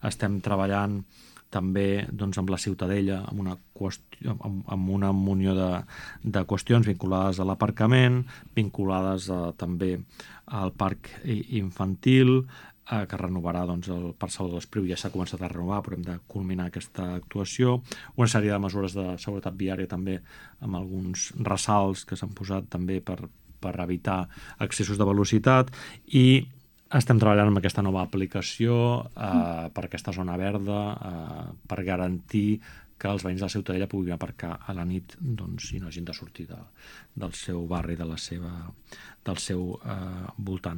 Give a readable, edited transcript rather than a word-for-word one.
estem treballant també amb la Ciutadella, amb una munió de qüestions vinculades a l'aparcament, vinculades també al parc infantil, que renovarà el Parc Salvador Espriu, ja s'ha començat a renovar, però hem de culminar aquesta actuació, una sèrie de mesures de seguretat viària també, amb alguns ressalts que s'han posat també per evitar excessos de velocitat, i estem treballant amb aquesta nova aplicació per aquesta zona verda, per garantir que els veïns de la Ciutadella puguin aparcar a la nit i no hagin de sortir del seu barri, del seu voltant.